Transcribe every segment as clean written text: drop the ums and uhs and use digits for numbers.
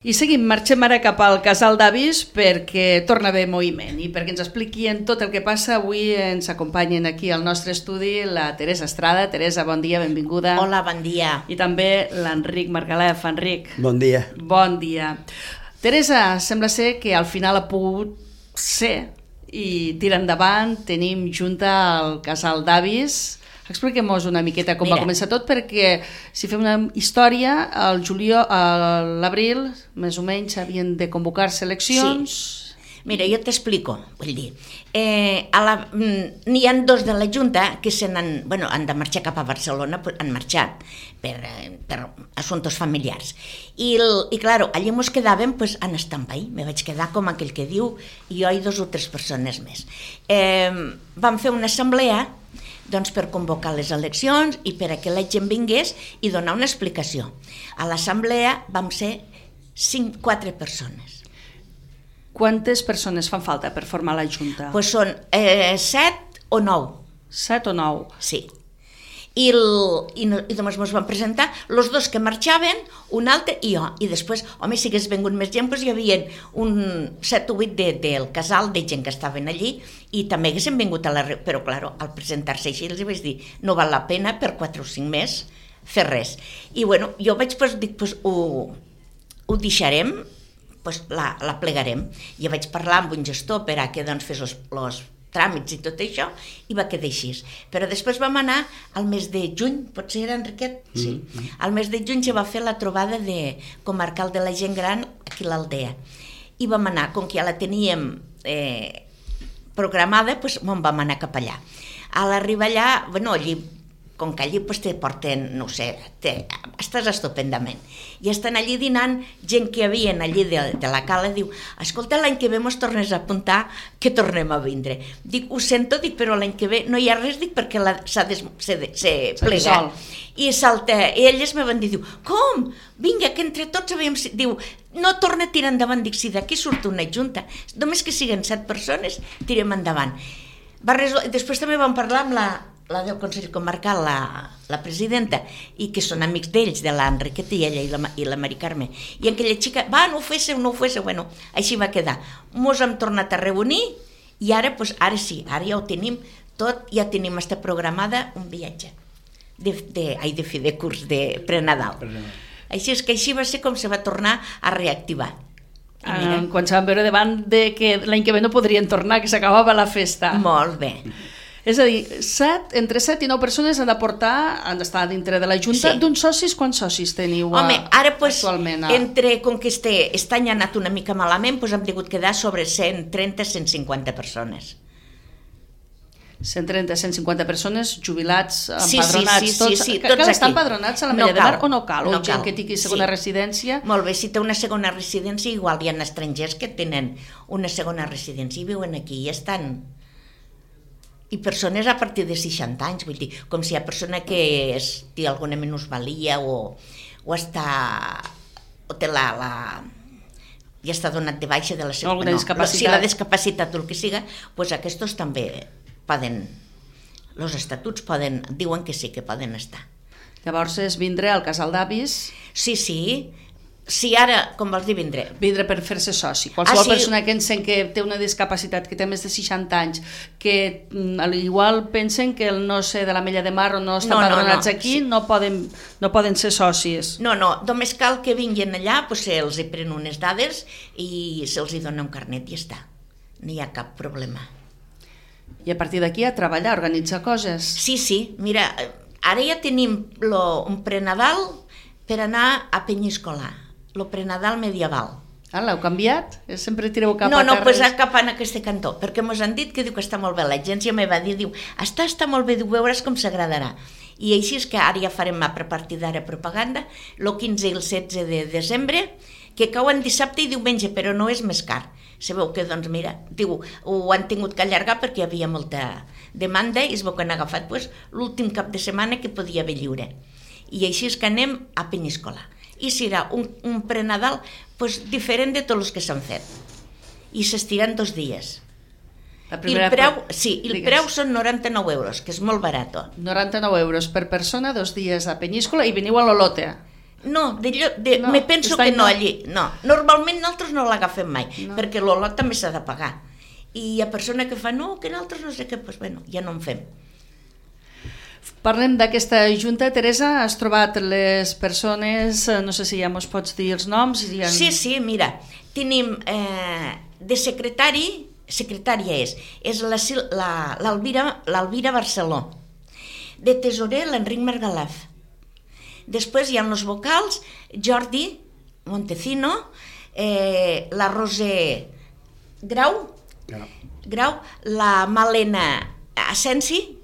I seguim, marxem ara cap al casal d'avis perquè torna a haver moviment i perquè ens expliquin tot el que passa. Avui ens acompanyen aquí al nostre estudi la Teresa Estrada. Teresa, bon dia, benvinguda. Hola, bon dia. I també l'Enric Margalef. Enric. Bon dia. Bon dia. Teresa, sembla ser que al final ha pogut ser i tira endavant. Tenim junta al casal d'avis. Expliquem-nos una miqueta com va començar tot, perquè si fem una història, al juliol, a l'abril, més o menys, havien de convocar-se eleccions. Sí. Mira, jo t'explico, vull dir, n'hi ha dos de la Junta que han de marxar cap a Barcelona, han marxat per assumptes familiars. I claro, allí ens quedàvem en stand-by, me vaig quedar com aquell que diu, i jo i 2 o 3 persones més. Vam fer una assemblea per convocar les eleccions i per a que la gent vingués i donar una explicació. A l'assemblea vam ser 4 persones. Quantes persones fan falta per formar la Junta? Doncs són 7 o 9. 7 o 9? Sí. I només ens van presentar els 2 que marxaven, un altre i jo. I després, si hagués vingut més gent, hi havia un 7 o 8 del casal de gent que estaven allí i també haguessin vingut a la reunió. Però, clar, al presentar-se així els vaig dir no val la pena per 4 o 5 més fer res. I jo vaig dir, ho deixarem, la plegarem. Jo vaig parlar amb un gestor per a que fes els tràmits i tot això, i va quedar així. Però després vam anar al mes de juny, potser era Enriquet? Sí. Al mes de juny ja va fer la trobada comarcal de la gent gran aquí a l'Aldea. I vam anar, com que ja la teníem programada, vam anar cap allà. A l'arribar allà, allí, com que allí te porten, no sé, estàs estupendament. I estan allí dinant gent que hi havia allí de la cala, diu, escolta, l'any que ve mos tornes a apuntar que tornem a vindre. Dic, ho sento, però l'any que ve no hi ha res, perquè s'ha plegat. I elles me van dir, com? Vinga, que entre tots havíem... Diu, no torna a tirar endavant. Dic, si d'aquí surt una junta, només que siguen 7 persones, tirem endavant. Després també vam parlar amb la del Consell Comarcal, la presidenta, i que són amics d'ells, de l'Enriqueta i ella i la Mari Carme. I aquella xica, no ho féssiu. Bueno, així va quedar. Mos hem tornat a reunir i ara sí, ara ja ho tenim tot, ja tenim programada un viatge de fi de curs, de prenadal. Així és que així va ser com se va tornar a reactivar. Quan se van veure davant de que l'any que ve no podrien tornar, que s'acabava la festa. Molt bé. És a dir, entre 7 i 9 persones han d'estar dintre de la Junta. Sí. D'uns socis, quants socis teniu actualment? Com que aquest any ha anat una mica malament, hem hagut quedar sobre 130-150 persones. 130-150 persones, jubilats, empadronats, tots. Sí, cal estar empadronats a la Mella de Mar o no cal? No gent que tingui segona residència? Molt bé, si té una segona residència, igual hi ha estrangers que tenen una segona residència i viuen aquí i estan... I persones a partir de 60 anys, vull dir, com si hi ha persona que té alguna minusvalia o té ja està donat de baixa de la seva... Alguna discapacitat. Si la discapacitat o el que siga, aquests també poden... Els estatuts diuen que sí, que poden estar. Llavors és vindre al casal d'avis? Sí. Si ara, com vols dir, vindre? Vindre per fer-se soci. Qualsevol persona que sent que té una discapacitat, que té més de 60 anys, que igual pensen que el no ser de la Mella de Mar o no estan empadronats aquí, no poden ser socis. No, només cal que vinguin allà, se'ls hi pren unes dades i se'ls hi dona un carnet i ja està. No hi ha cap problema. I a partir d'aquí a treballar, a organitzar coses. Sí, mira, ara ja tenim un prenadal per anar a Penyíscola. El prenadal medieval. L'heu canviat? Sempre tireu cap a terres? No, cap a aquest cantó, perquè ens han dit que diu que està molt bé. L'agència me va dir, està molt bé, veuràs com s'agradarà. I així és que ara ja farem a partir d'ara propaganda, el 15 i el 16 de desembre, que cauen dissabte i diumenge, però no és més car. Sabeu que, ho han tingut que allargar perquè hi havia molta demanda i es veu que han agafat l'últim cap de setmana que podia haver lliure. I així és que anem a Penyíscola. I serà un prenadal diferent de tots els que s'han fet. I s'estiran 2 dies. I el preu són 99 euros, que és molt barat. 99 euros per persona, 2 dies a Penyíscola i veniu a l'Olote. No, No, me penso està que no no. allí. No, normalment nosaltres no l'agafem mai, No. perquè l'olot també s'ha de pagar. I hi ha persona que fa, no, que nosaltres no sé què, doncs bueno, ja no en fem. Parlem d'aquesta junta. Teresa, has trobat les persones, no sé si ja mos pots dir els noms? Sí, mira, tenim de secretària és l'Alvira Barceló, de tesorer l'Enric Margalaf. Després hi ha els vocals, Jordi Montecino, la Roser Grau, la Malena Asensi,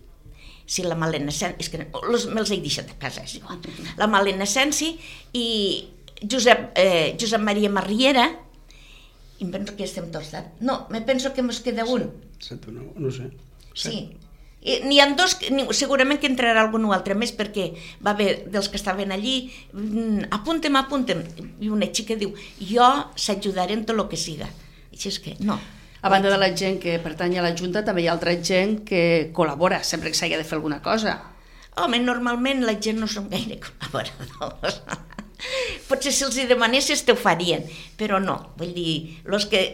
sí, la Malena Asensi, és que me'ls he deixat a casa, és igual. La Malena Asensi i Josep Maria Marriera, i em penso que estem tots. No, me penso que ens queda un. No sé. Sí. N'hi ha dos, segurament que entrarà algun altre més, perquè va haver dels que estaven allí, apuntem, i una xica diu, jo s'ajudaré en tot el que siga. Així és que, no. A banda de la gent que pertany a la Junta, també hi ha altra gent que col·labora sempre que s'hagi de fer alguna cosa. Home, normalment la gent no som gaire col·laboradors. Potser si els hi demanessis te ho farien, però no. Vull dir,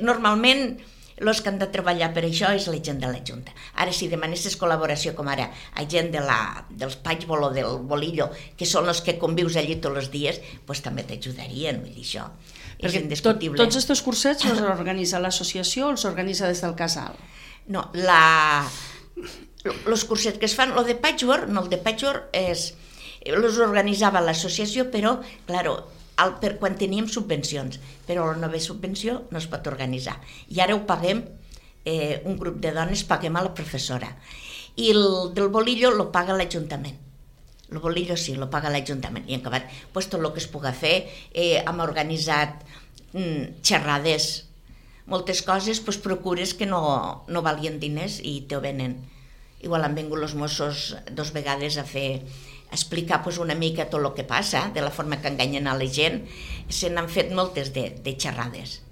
normalment els que han de treballar per això és la gent de la Junta. Ara, si demanessis col·laboració, com ara a gent dels Patchbol o del Bolillo, que són els que convius allí tots els dies, doncs també t'ajudarien, vull dir, això és indiscutible. Tots aquests cursets els organitza l'associació o els organitza des del casal? No, els cursets que es fan, el de Patchwork els organitzava l'associació, però, clar, per quan teníem subvencions, però la nova subvenció no es pot organitzar. I ara ho paguem, un grup de dones paguem a la professora. I el del Bolillo lo paga l'Ajuntament. El Bolillo sí, lo paga l'Ajuntament. I en acabat, pues, tot el que es pugui fer, hem organitzat xerrades, moltes coses, pues, procures que no valien diners i te ho venen. Igual han vingut els Mossos 2 vegades a explicar pues, una mica tot el que passa, de la forma que enganyen a la gent. Se n'han fet moltes de xerrades,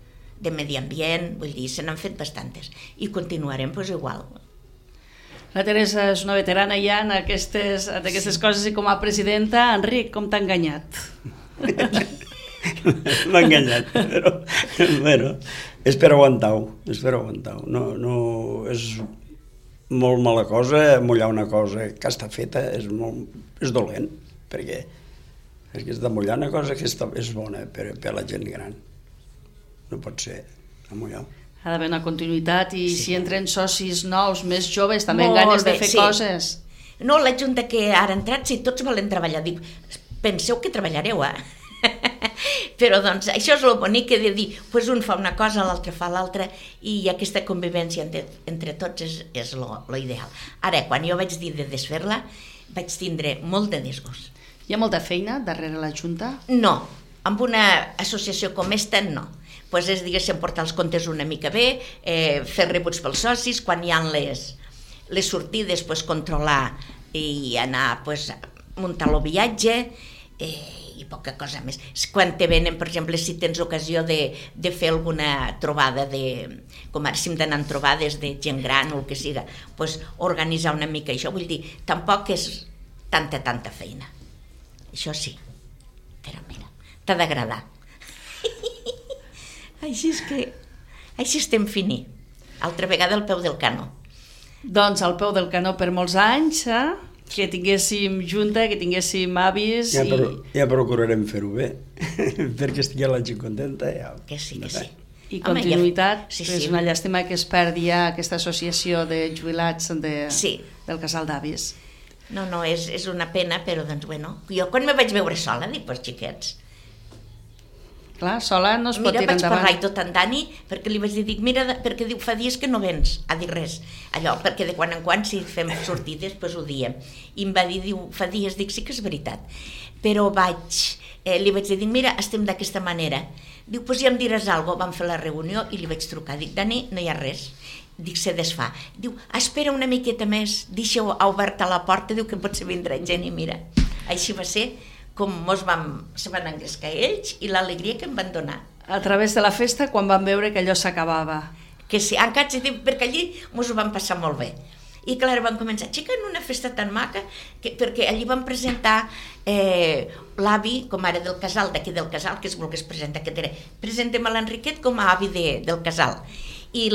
de medi ambient, vull dir, se n'han fet bastantes. I continuarem pues, igual. La Teresa és una veterana ja en aquestes coses i com a presidenta. Enric, com t'ha enganyat? M'ha enganyat, però bueno, és per aguantar-ho, no, és molt mala cosa, mullar una cosa que està feta és dolent, perquè és de mullar una cosa que és bona per la gent gran. No pot ser a mullar. Ha d'haver una continuïtat i si entren socis nous, més joves, també amb ganes de fer coses. No, la Junta que ara ha entrat, si tots volen treballar, dic, penseu que treballareu, Però doncs això és el bonic que de dir, pues un fa una cosa, l'altre fa l'altra, i aquesta convivència entre tots és lo ideal. Ara, quan jo vaig dir de desfer-la, vaig tindre molt de disgust. Hi ha molta feina darrere la Junta? No, amb una associació com esta, no. Pues és, diguéssim, portar els comptes una mica bé, fer rebuts pels socis, quan hi ha les sortides, pues, controlar i anar, pues, muntar el viatge, i poca cosa més. Quan te venen, per exemple, si tens ocasió de fer alguna trobada, com ara si hem d'anar en trobades de gent gran o el que siga, pues, organitzar una mica això, vull dir, tampoc és tanta feina. Això sí, però mira, t'ha d'agradar. Així estem fini. Altra vegada al peu del canó. Doncs al peu del canó per molts anys, que tinguéssim Junta, que tinguéssim avis... Ja procurarem fer-ho bé, perquè estigui la gent contenta. Que sí. I continuïtat, és una llàstima que es perdi ja aquesta associació de jubilats del casal d'avis. No, és una pena, però doncs, bueno, jo quan me vaig veure sola, dic, pues xiquets... Clar, sola no es pot tirar endavant. Mira, vaig parlar i tot en Dani, perquè li vaig dir, mira, perquè diu, fa dies que no vens a dir res. Allò, perquè de quan en quan, si fem sortides, doncs ho diem. I em va dir, diu, fa dies, dic, sí que és veritat. Però li vaig dir, mira, estem d'aquesta manera. Diu, doncs ja em diràs alguna cosa. Vam fer la reunió i li vaig trucar. Dic, Dani, no hi ha res. Dic, se desfà. Diu, espera una miqueta més, deixa oberta la porta, diu que potser vindrà gent i mira. Així va ser com se van engrescar ells i l'alegria que em van donar. A través de la festa, quan van veure que allò s'acabava. Que sí, perquè allí ens ho vam passar molt bé. I clar, van començar, xica, en una festa tan maca, perquè allí van presentar l'avi, com ara del casal, d'aquí del casal, que es volgués presentar, que era, presentem a l'Enriquet com a avi del casal. I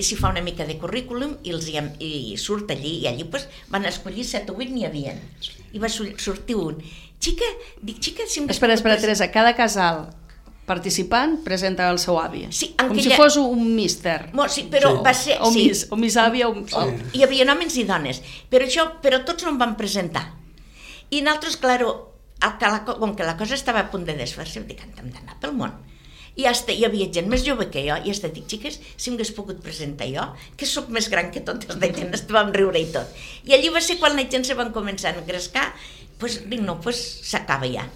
s'hi fa una mica de currículum i surt allí, i allí van escollir 7 o 8, n'hi havia. I va sortir un. Xica, si em... Espera, Teresa, cada casal participant presenta el seu avi. Sí, com si fos un míster. Sí, però va ser... O mis àvia. Hi havia homes i dones, però tots no em van presentar. I nosaltres, clar, com que la cosa estava a punt de desfer-se, dic, hem d'anar pel món. I hi havia gent més jove que jo, i hasta dic, xiques, si m'hagués pogut presentar jo, que sóc més gran que totes de gent, vam riure i tot. I allí va ser quan la gent se van començar a engrescar, dic, no, s'acaba ja.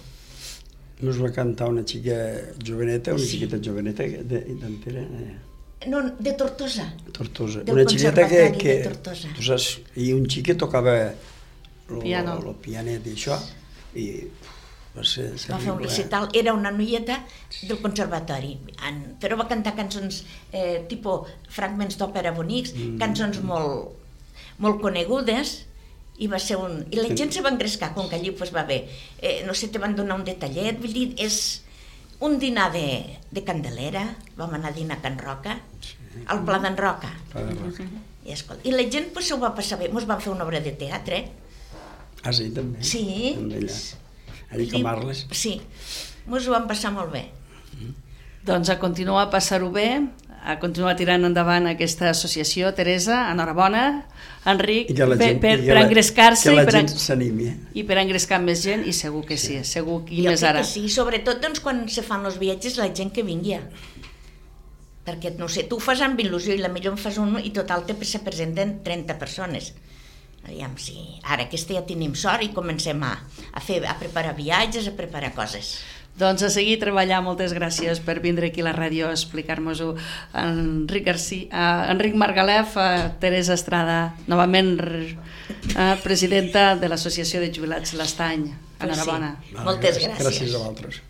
Nos va cantar una xica joveneta, una xiqueta joveneta d'Antera. No, de Tortosa. Tortosa. Del Una xiqueta que de Tortosa. Tu saps, i un xic que tocava piano. El pianet i això, i va ser... Va fer un recital, era una noieta del conservatori, però va cantar cançons tipus fragments d'òpera bonics, cançons molt conegudes, i va ser i la gent se va engrescar, com que allí va bé, no sé, te van donar un detallet, vull dir, és un dinar de Candelera, vam anar a dinar a Can Roca, al Pla d'en Roca, i la gent s'ho va passar bé, mos van fer una obra de teatre. Ah, sí, també? Sí. Allí com Arles? Sí, mos ho vam passar molt bé. Doncs a continuar a passar-ho bé, a continuar tirant endavant aquesta associació. Teresa, enhorabona. Enric, per engrescar-se que la gent s'animi. I per engrescar més gent, i segur que sí, segur que més ara. Sí, sobretot quan se fan els viatges, la gent que vingui. Perquè, no sé, tu ho fas amb il·lusió i la millor en fas un i total se presenten 30 persones. Aviam, sí. Ara aquesta ja tenim sort i comencem a preparar viatges, a preparar coses. Doncs a seguir treballar. Moltes gràcies per vindre aquí a la ràdio a explicar-nos-ho. Enric Margalef, Teresa Estrada, novament presidenta de l'Associació de Jubilats L'Estany. Enhorabona. Moltes gràcies. Gràcies a vosaltres.